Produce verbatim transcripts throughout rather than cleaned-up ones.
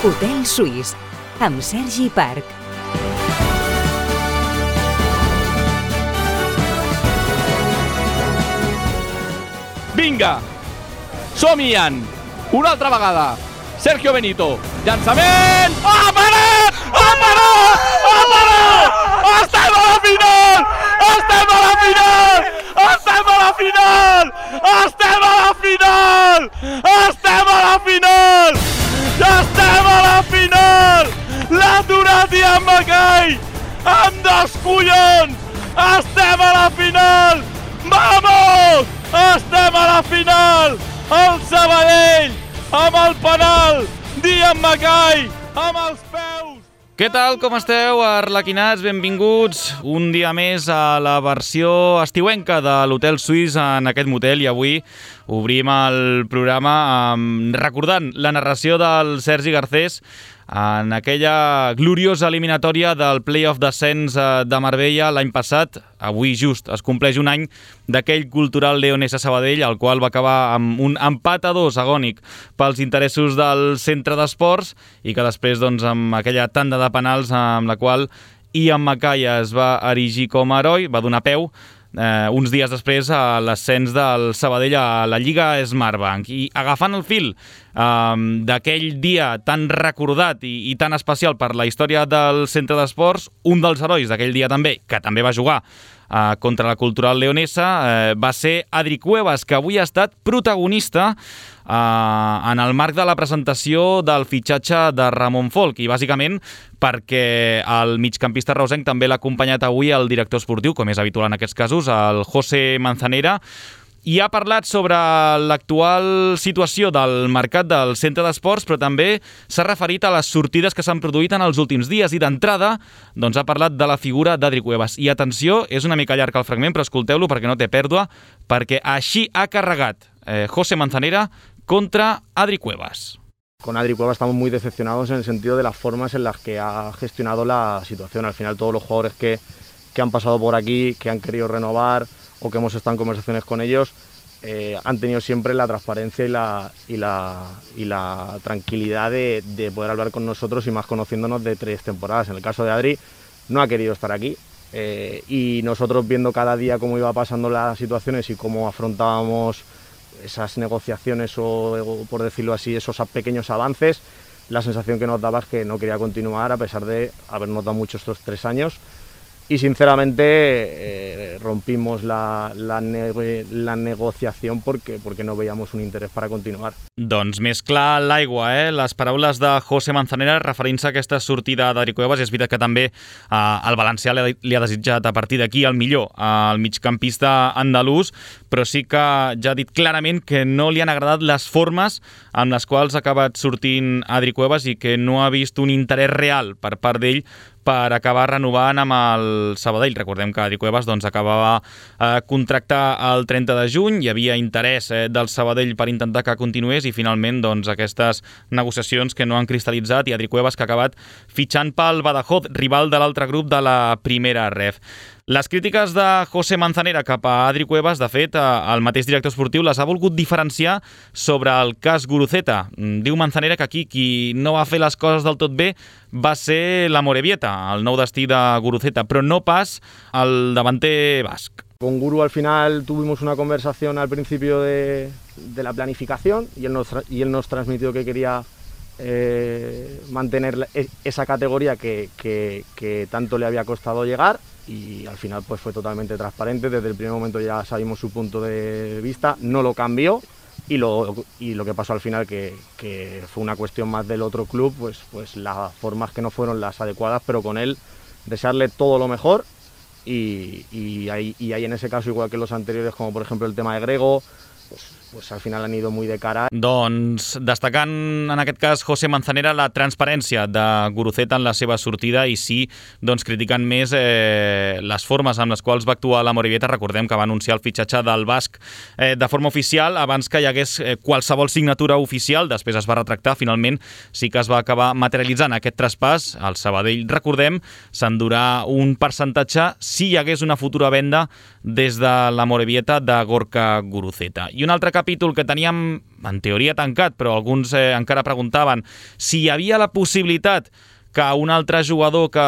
Hotel Suís, amb Sergi Parc. Vinga, som-hi-han, una altra vegada. Sergio Benito, llançament! Ha parat! Ha parat! Ha parat! Estem a la final! Estem a la final! Estem a la final! Estem a la final! Estem a la final! Estem a la final! L'ha aturat Ian Mackay! Amb dos collons! Estem a la final! Vamos! Estem a la final! El Sabadell! Amb el penal d'Ian Mackay, amb els peus. Què tal, com esteu, arlequinats? Benvinguts un dia més a la versió estiuenca de l'Hotel Suís en aquest motel, i avui obrim el programa um, recordant la narració del Sergi Garcés en aquella gloriosa eliminatòria del Playoff Descens de Marbella l'any passat. Avui just es compleix un any d'aquell cultural Leonesa Sabadell, el qual va acabar amb un empat a dos agònic pels interessos del centre d'esports, i que després, doncs, amb aquella tanda de penals amb la qual Ian Mackay es va erigir com a heroi, va donar peu Eh, uns dies després a l'ascens del Sabadell a la Lliga Smartbank. I agafant el fil eh, d'aquell dia tan recordat i, i tan especial per la història del centre d'esports, un dels herois d'aquell dia també, que també va jugar eh, contra la Cultural Leonesa, eh, va ser Adri Cuevas, que avui ha estat protagonista Uh, en el marc de la presentació del fitxatge de Ramon Folch, i bàsicament perquè el migcampista reusenc també l'ha acompanyat avui el director esportiu, com és habitual en aquests casos, el José Manzanera, i ha parlat sobre l'actual situació del mercat del centre d'esports, però també s'ha referit a les sortides que s'han produït en els últims dies, i d'entrada doncs, ha parlat de la figura d'Adri Cuevas. I atenció, és una mica llarg el fragment, però escolteu-lo perquè no té pèrdua, perquè així ha carregat eh, José Manzanera contra Adri Cuevas. Con Adri Cuevas estamos muy decepcionados en el sentido de las formas en las que ha gestionado la situación. Al final todos los jugadores que, que han pasado por aquí, que han querido renovar o que hemos estado en conversaciones con ellos, eh, han tenido siempre la transparencia y la, y la, y la tranquilidad de, de poder hablar con nosotros, y más conociéndonos de tres temporadas. En el caso de Adri, no ha querido estar aquí, eh, y nosotros viendo cada día cómo iba pasando las situaciones y cómo afrontábamos esas negociaciones o, o, por decirlo así, esos pequeños avances, la sensación que nos daba es que no quería continuar a pesar de habernos dado mucho estos tres años. Y sinceramente eh, rompimos la, la, ne la negociación porque, porque no veíamos un interés para continuar. Doncs més clar l'aigua, eh? Les paraules de José Manzanera referint-se a aquesta sortida d'Adri Cuevas. És veritat que també eh, el valencià li, li ha desitjat a partir d'aquí el millor al migcampista andalús, però sí que ja ha dit clarament que no li han agradat les formes amb les quals ha acabat sortint Adri Cuevas, i que no ha vist un interès real per part d'ell per acabar renovant amb el Sabadell. Recordem que Adri Cuevas doncs, acabava eh, contractar el trenta de juny, hi havia interès eh, del Sabadell per intentar que continués, i finalment doncs, aquestes negociacions que no han cristal·litzat, i Adri Cuevas que ha acabat fitxant pel Badajoz, rival de l'altre grup de la primera ref. Les crítiques de José Manzanera cap a Adri Cuevas, de fet, el mateix director esportiu les ha volgut diferenciar sobre el cas Guruceta. Diu Manzanera que aquí qui no va fer les coses del tot bé va ser l'Amorebieta, el nou destí de Guruceta, però no pas el davanter basc. Con Guru al final tuvimos una conversación al principio de, de la planificación, y él nos, y él nos transmitió que quería eh, mantener esa categoría que, que, que tanto le había costado llegar, y al final pues fue totalmente transparente. Desde el primer momento ya sabíamos su punto de vista, no lo cambió, y lo, y lo que pasó al final, que, que fue una cuestión más del otro club, pues, pues las formas que no fueron las adecuadas, pero con él desearle todo lo mejor, y, y, ahí, y ahí en ese caso, igual que los anteriores, como por ejemplo el tema de Grego, pues, pues al final han ido muy de cara. Doncs destacant en aquest cas José Manzanera la transparència de Guruceta en la seva sortida, i sí, doncs criticant més eh, les formes amb les quals va actuar l'Amorebieta. Recordem que va anunciar el fitxatge del basc eh, de forma oficial abans que hi hagués eh, qualsevol signatura oficial. Després es va retractar, finalment sí que es va acabar materialitzant aquest traspàs. El Sabadell, recordem, s'endurà un percentatge si hi hagués una futura venda des de l'Amorebieta de Gorka Guruceta. I un altre cap capítol que teníem en teoria tancat, però alguns eh, encara preguntaven si hi havia la possibilitat que un altre jugador que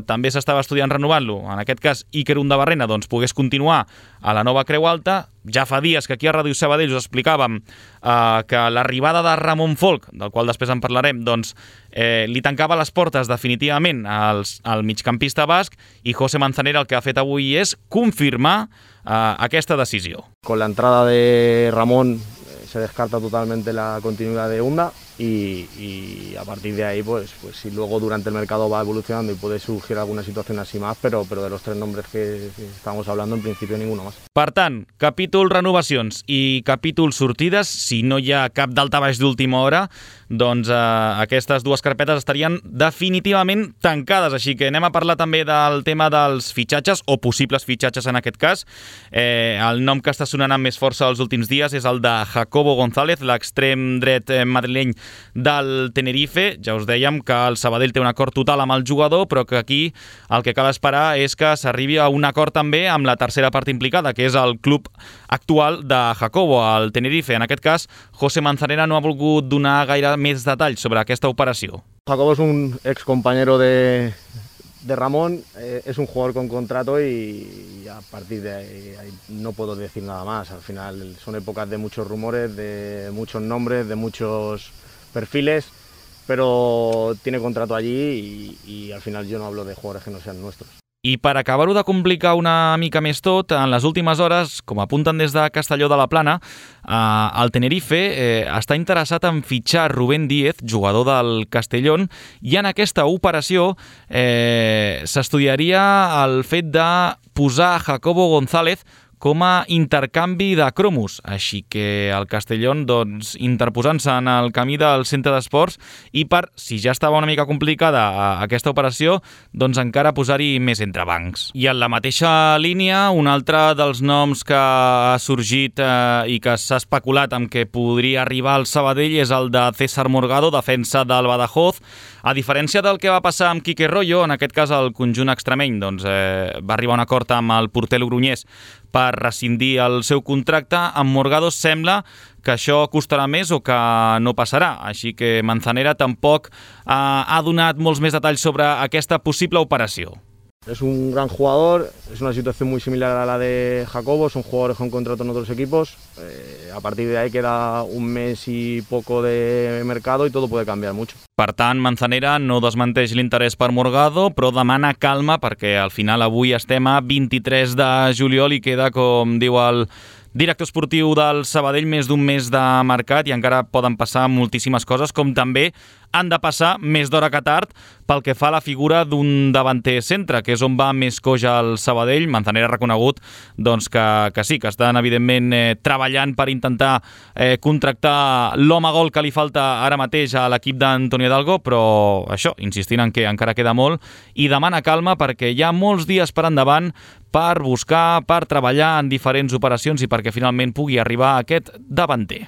també s'estava estudiant renovant-lo, en aquest cas Iker Undabarrena, doncs pogués continuar a la nova Creu Alta. Ja fa dies que aquí a Ràdio Sabadell us explicàvem eh, que l'arribada de Ramon Folk, del qual després en parlarem, doncs eh, li tancava les portes definitivament als, al migcampista basc, i José Manzanera el que ha fet avui és confirmar eh, aquesta decisió. Con la entrada de Ramón se descarta totalmente la continuidad de Unda y, y a partir de ahí, pues, pues si luego durante el mercado va evolucionando y puede surgir alguna situación así más, pero, pero de los tres nombres que, que estamos hablando, en principio ninguno más. Per tant, capítol renovacions i capítol sortides, si no hi ha cap daltabaix d'última hora, doncs eh, aquestes dues carpetes estarien definitivament tancades, així que anem a parlar també del tema dels fitxatges, o possibles fitxatges en aquest cas. Eh, el nom que està sonant amb més força els últims dies és el de Jacobo González, l'extrem dret madrileny del Tenerife. Ja us dèiem que el Sabadell té un acord total amb el jugador, però que aquí el que cal esperar és que s'arribi a un acord també amb la tercera part implicada, que és el club actual de Jacobo, el Tenerife. En aquest cas, José Manzanera no ha volgut donar gaire més detalls sobre aquesta operació. Jacobo es un ex compañero de, de Ramón, eh, es un jugador con contrato y, y a partir de ahí, ahí no puedo decir nada más. Al final son épocas de muchos rumores, de muchos nombres, de muchos perfiles, pero tiene contrato allí y, y al final yo no hablo de jugadores que no sean nuestros. I per acabar-ho de complicar una mica més tot, en les últimes hores, com apunten des de Castelló de la Plana, eh, el Tenerife eh, està interessat en fitxar Rubén Díez, jugador del Castellón, i en aquesta operació eh, s'estudiaria el fet de posar Jacobo González com a intercanvi de cromos. Així que el Castellón, doncs, interposant-se en el camí del centre d'esports, i per, si ja estava una mica complicada aquesta operació, doncs encara posar-hi més entrebancs. I en la mateixa línia, un altre dels noms que ha sorgit eh, i que s'ha especulat amb què podria arribar al Sabadell és el de César Morgado, defensa del Badajoz. A diferència del que va passar amb Quique Royo, en aquest cas el conjunt extremeny doncs, eh, va arribar a un acord amb el porter logroñès per rescindir el seu contracte. Amb Morgado sembla que això costarà més o que no passarà, així que Manzanera tampoc eh, ha donat molts més detalls sobre aquesta possible operació. Es un gran jugador, es una situación muy similar a la de Jacobo, son jugadores con contrato en otros equipos, eh, a partir de ahí queda un mes y poco de mercado y todo puede cambiar mucho. Per tant, Manzanera no desmenteix l'interès per Morgado, però demana calma perquè al final avui estem a vint-i-tres de juliol i queda, com diu el director esportiu del Sabadell, més d'un mes de mercat i encara poden passar moltíssimes coses, com també han de passar més d'hora que tard pel que fa a la figura d'un davanter centre, que és on va més coix al Sabadell. Manzanera ha reconegut doncs, que, que sí, que estan evidentment eh, treballant per intentar eh, contractar l'home gol que li falta ara mateix a l'equip d'Antonio Hidalgo, però això, insistint en que encara queda molt, i demana calma perquè hi ha molts dies per endavant per buscar, per treballar en diferents operacions i perquè finalment pugui arribar aquest davanter.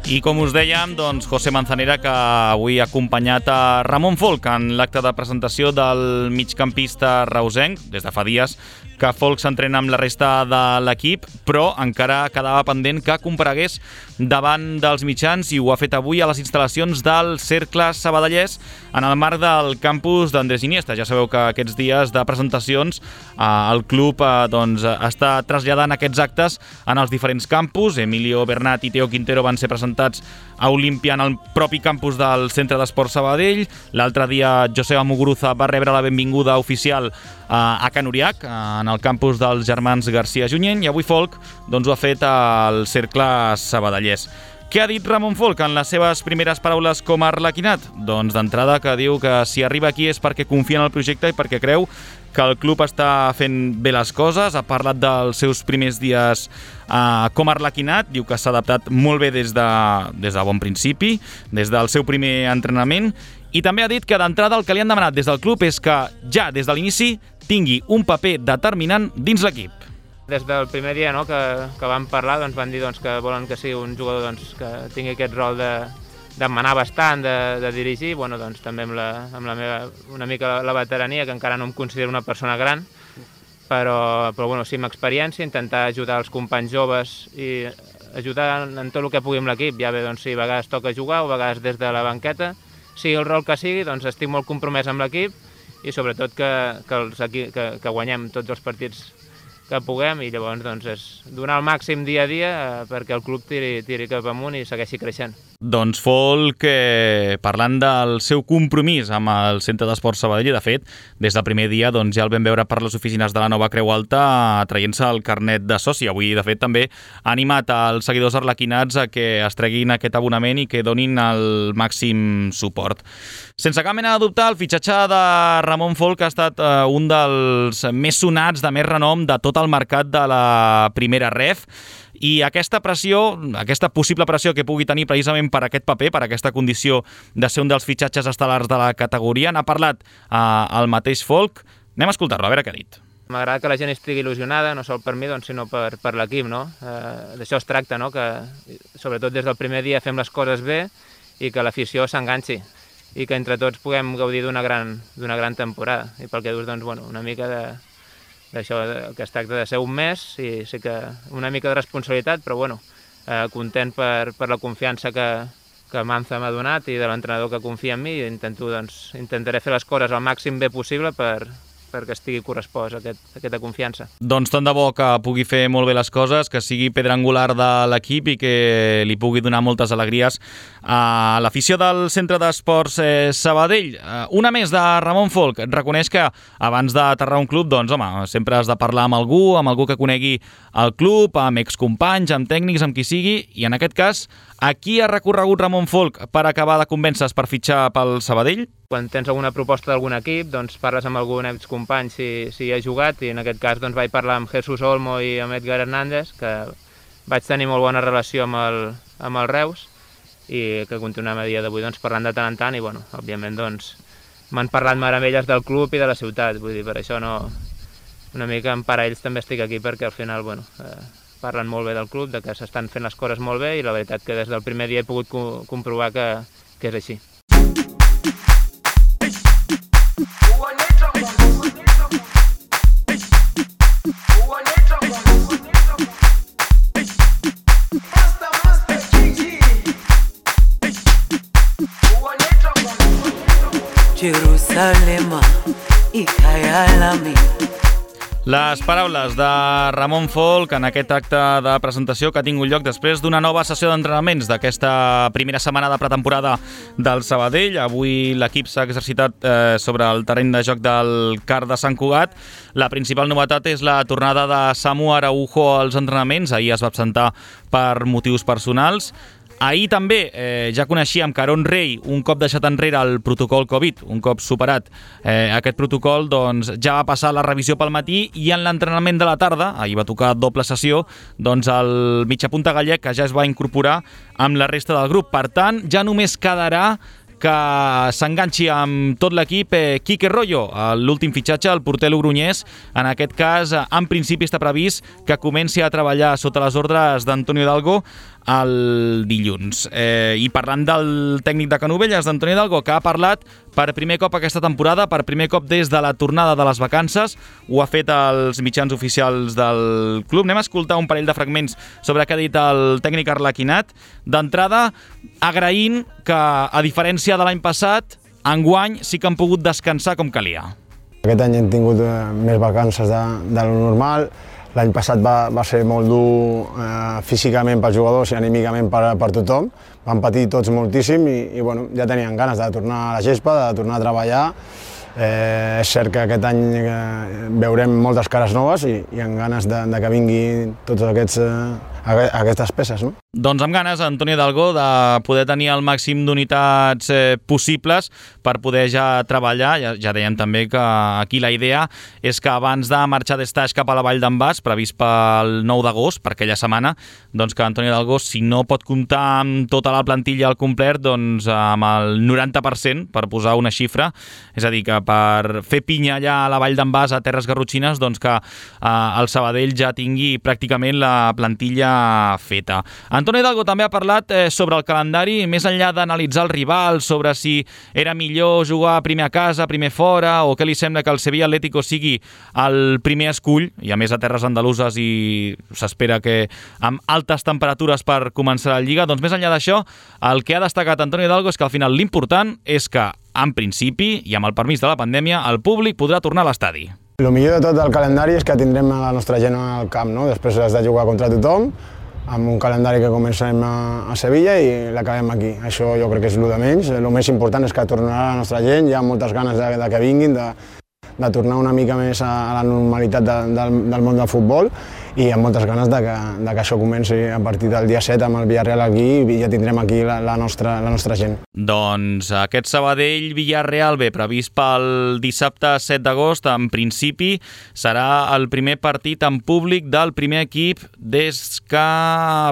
I com us dèiem, doncs, José Manzanera, que avui ha acompanyat a Ramon Folk en l'acte de presentació del migcampista reusenc, des de fa dies que Folk s'entrena amb la resta de l'equip, però encara quedava pendent que comparegués davant dels mitjans i ho ha fet avui a les instal·lacions del Cercle Sabadellès en el marc del campus d'Andrés Iniesta. Ja sabeu que aquests dies de presentacions eh, el club eh, doncs, està traslladant aquests actes en els diferents campus. Emilio Bernat i Teo Quintero van ser presentats a Olímpia en el propi campus del Centre d'Esports Sabadell. L'altre dia Joseba Muguruza va rebre la benvinguda oficial eh, a Can Uriac, en el campus dels germans García Junyent, i avui Folk doncs, ho ha fet al Cercle Sabadellès. Què ha dit Ramon Folch en les seves primeres paraules com a arlequinat? Doncs d'entrada que diu que si arriba aquí és perquè confia en el projecte i perquè creu que el club està fent bé les coses. Ha parlat dels seus primers dies eh, com a arlequinat, diu que s'ha adaptat molt bé des de, des de bon principi, des del seu primer entrenament, i també ha dit que d'entrada el que li han demanat des del club és que ja des de l'inici tingui un paper determinant dins l'equip. Des del primer dia no, que, que vam parlar, doncs, van dir doncs, que volen que sigui un jugador doncs, que tingui aquest rol de, de manar bastant, de, de dirigir, bueno, doncs, també amb, la, amb la meva, una mica la veterania, que encara no em considero una persona gran, però, però bueno, sí, amb experiència, intentar ajudar els companys joves i ajudar en, en tot el que pugui amb l'equip. Ja bé, doncs, si a vegades toca jugar o a vegades des de la banqueta, sigui el rol que sigui, doncs estic molt compromès amb l'equip i sobretot que, que, els, que, que guanyem tots els partits que puguem, i llavors doncs, és donar el màxim dia a dia eh, perquè el club tiri, tiri cap amunt i segueixi creixent. Doncs Folch, eh, parlant del seu compromís amb el Centre d'Esports Sabadell, de fet, des del primer dia doncs, ja el vam veure per les oficines de la Nova Creu Alta traient-se el carnet de soci. Avui, de fet, també ha animat els seguidors arlequinats a que es treguin aquest abonament i que donin el màxim suport. Sense cap mena de dubte, el fitxatge de Ramon Folch ha estat eh, un dels més sonats, de més renom de tot el mercat de la primera ref, i aquesta pressió, aquesta possible pressió que pugui tenir precisament per aquest paper, per aquesta condició de ser un dels fitxatges estel·lars de la categoria, n'ha parlat eh, el mateix Folch. Anem a escoltar-lo, a veure què ha dit. M'agrada que la gent estigui il·lusionada, no sol per mi, doncs, sinó per, per l'equip, no? Eh, d'això es tracta, no? Que sobretot des del primer dia fem les coses bé i que l'afició s'enganxi i que entre tots puguem gaudir d'una gran, d'una gran temporada. I pel que dius, doncs, bueno, una mica de d'això que es tracta de ser un mes, i sí que una mica de responsabilitat, però bueno, eh, content per, per la confiança que, que Manza m'ha donat i de l'entrenador que confia en mi, i intento, doncs, intentaré fer les coses al màxim bé possible per, perquè estigui correspost aquest, aquesta confiança. Doncs tant de bo que pugui fer molt bé les coses, que sigui pedra angular de l'equip i que li pugui donar moltes alegries a l'afició del Centre d'Esports eh, Sabadell. Eh, una més de Ramon Folch. Reconeix que abans d'aterrar un club, doncs home, sempre has de parlar amb algú, amb algú que conegui el club, amb excompanys, amb tècnics, amb qui sigui, i en aquest cas, a qui ha recorregut Ramon Folch per acabar de convèncer per fitxar pel Sabadell? Quan tens alguna proposta d'algun equip, doncs parles amb algun excompany si, si hi ha jugat, i en aquest cas doncs, vaig parlar amb Jesús Olmo i amb Edgar Hernández, que vaig tenir molt bona relació amb el, amb el Reus i que continuem a dia d'avui doncs, parlant de tant en tant, i bueno, òbviament doncs, m'han parlat meravelles del club i de la ciutat, vull dir, per això no, una mica en part a ells també estic aquí, perquè al final bueno, eh, parlen molt bé del club, de que s'estan fent les coses molt bé, i la veritat que des del primer dia he pogut co comprovar que, que és així. Jerusalema i Kayalami. Les paraules de Ramon Folch en aquest acte de presentació que ha tingut lloc després d'una nova sessió d'entrenaments d'aquesta primera setmana de pretemporada del Sabadell. Avui l'equip s'ha exercitat eh, sobre el terreny de joc del Car de Sant Cugat. La principal novetat és la tornada de Samu Araujo als entrenaments. Ahir es va absentar per motius personals. Ahir també eh, ja coneixíem que Aaron Rey, un cop deixat enrere el protocol Covid, un cop superat eh, aquest protocol, doncs ja va passar la revisió pel matí, i en l'entrenament de la tarda, ahir va tocar doble sessió, doncs el mitjapunta gallec que ja es va incorporar amb la resta del grup. Per tant, ja només quedarà que s'enganxi amb tot l'equip eh, Quique Royo, l'últim fitxatge, el porter logrunyès. En aquest cas, en principi està previst que comenci a treballar sota les ordres d'Antonio Hidalgo el dilluns. Eh, I parlant del tècnic de Canovelles, d'Antonio Hidalgo, que ha parlat per primer cop aquesta temporada, per primer cop des de la tornada de les vacances, ho ha fet als mitjans oficials del club. Anem a escoltar un parell de fragments sobre què ha dit el tècnic arlequinat. D'entrada, agraint que, a diferència de l'any passat, enguany sí que han pogut descansar com calia. Aquest any hem tingut eh, més vacances de, de lo normal. L'any passat va, va ser molt dur eh, físicament pels jugadors i anímicament per, per tothom. Vam patir tots moltíssim i, i bueno, ja tenien ganes de tornar a la gespa, de tornar a treballar. Eh, és cert que aquest any eh, veurem moltes cares noves i, i amb ganes de, de que vinguin tots aquests, eh, aquestes peces, no? Doncs amb ganes, Antonio Hidalgo, de poder tenir el màxim d'unitats eh, possibles per poder ja treballar. Ja, ja dèiem també que aquí la idea és que abans de marxar d'estaix cap a la Vall d'en Bas, previst pel nou d'agost, per aquella setmana, doncs que Antonio Hidalgo, si no pot comptar amb tota la plantilla al complet, doncs amb el noranta per cent, per posar una xifra, és a dir, que per fer pinya allà a la Vall d'en Bas, a Terres Garrotxines, doncs que eh, el Sabadell ja tingui pràcticament la plantilla feta. Antonio Hidalgo també ha parlat eh, sobre el calendari, més enllà d'analitzar el rival, sobre si era millor jugar primer a casa, primer fora, o què li sembla que el Sevilla Atlético sigui el primer escull, i a més a terres andaluses i s'espera que amb altes temperatures per començar la Lliga. Doncs més enllà d'això, el que ha destacat Antonio Hidalgo és que al final l'important és que, en principi, i amb el permís de la pandèmia, el públic podrà tornar a l'estadi. El millor de tot del calendari és que tindrem la nostra gent al camp, no? Després has de jugar contra tothom, amb un calendari que comencem a, a Sevilla i l'acabem aquí. Això jo crec que és el de menys. El més important és que tornarà la nostra gent, hi ha moltes ganes de, de que vinguin, de, de tornar una mica més a, a la normalitat de, del, del món del futbol i amb moltes ganes de que, de que això comenci a partir del dia set amb el Villarreal aquí i ja tindrem aquí la, la, nostra, la nostra gent. Doncs aquest Sabadell-Villarreal, bé, previst pel dissabte set d'agost, en principi serà el primer partit en públic del primer equip des que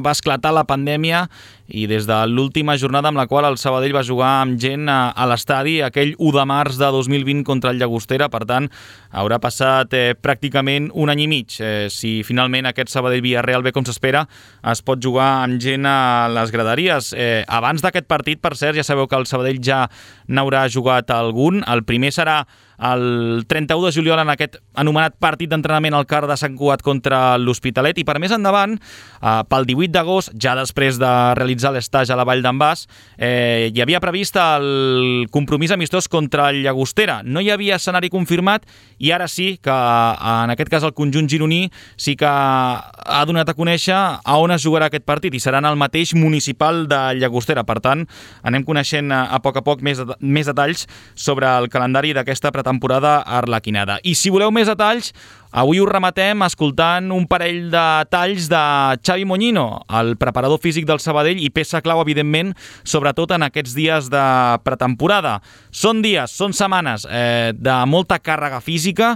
va esclatar la pandèmia i des de l'última jornada amb la qual el Sabadell va jugar amb gent a, a l'estadi, aquell u de març de dos mil vint contra el Llagostera. Per tant, haurà passat eh, pràcticament un any i mig. Eh, si finalment aquest Sabadell-Villarreal, bé com s'espera, es pot jugar amb gent a les graderies. Eh, abans d'aquest partit, per cert, ja sabeu que el Sabadell ja n'haurà jugat algun. El primer serà el trenta-u de juliol en aquest anomenat partit d'entrenament al Car de Sant Cugat contra l'Hospitalet, i per més endavant, eh, pel divuit d'agost, ja després de realitzar l'estage a la Vall d'en Bas, eh, hi havia previst el compromís amistós contra el Llagostera. No hi havia escenari confirmat i ara sí que, en aquest cas, el conjunt gironí sí que ha donat a conèixer a on es jugarà aquest partit i serà en el mateix municipal de Llagostera. Per tant, anem coneixent a poc a poc més, més detalls sobre el calendari d'aquesta pretemporada arlequinada. I si voleu més detalls, avui us rematem escoltant un parell de talls de Xavi Moñino, el preparador físic del Sabadell i peça clau, evidentment, sobretot en aquests dies de pretemporada. Són dies, són setmanes eh, de molta càrrega física,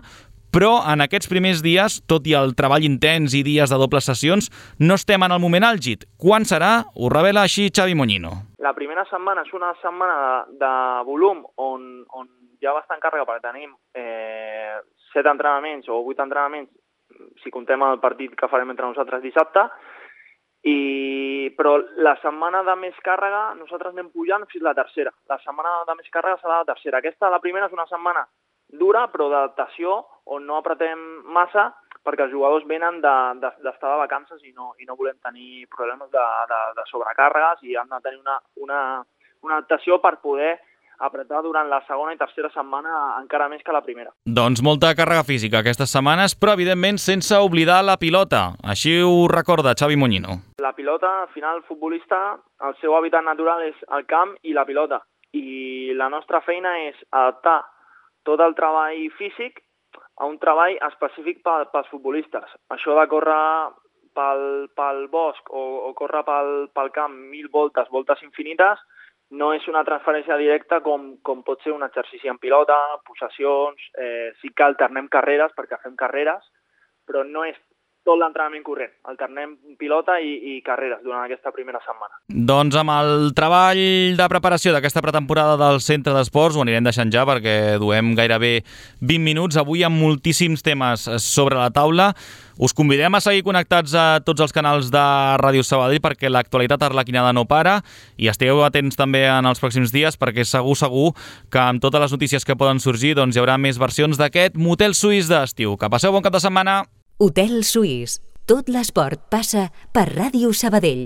però en aquests primers dies, tot i el treball intens i dies de dobles sessions, no estem en el moment àlgid. Quan serà? Ho revela així Xavi Moñino. La primera setmana és una setmana de, de volum on, on hi ha bastant càrrega perquè tenim eh, set entrenaments o vuit entrenaments, si contem el partit que farem entre nosaltres dissabte, i, però la setmana de més càrrega nosaltres anem pujant fins la tercera. La setmana de més càrrega serà la tercera. Aquesta, la primera, és una setmana dura, però d'adaptació, on no apretem massa, perquè els jugadors venen d'estar de, de, de vacances i no, i no volem tenir problemes de, de, de sobrecàrregues i han de tenir una, una, una adaptació per poder apretar durant la segona i tercera setmana encara més que la primera. Doncs molta càrrega física aquestes setmanes, però evidentment sense oblidar la pilota. Així ho recorda Xavi Moñino. La pilota, al final, el futbolista, el seu hàbitat natural és el camp i la pilota. I la nostra feina és adaptar tot el treball físic a un treball específic pels futbolistes. Això de córrer pel, pel bosc o, o córrer pel, pel camp mil voltes, voltes infinites, no és una transferència directa com, com pot ser un exercici en pilota, possessions, eh, sí que alternem carreres perquè fem carreres, però no és tot l'entrenament corrent. Alternem pilota i, i carreres durant aquesta primera setmana. Doncs amb el treball de preparació d'aquesta pretemporada del Centre d'Esports ho anirem deixant ja perquè duem gairebé vint minuts. Avui amb moltíssims temes sobre la taula. Us convidem a seguir connectats a tots els canals de Ràdio Sabadell perquè l'actualitat arlequinada no para i estigueu atents també en els pròxims dies perquè segur, segur que amb totes les notícies que poden sorgir doncs hi haurà més versions d'aquest motel suís d'estiu. Que passeu bon cap de setmana! Hotel Suís. Tot l'esport passa per Ràdio Sabadell.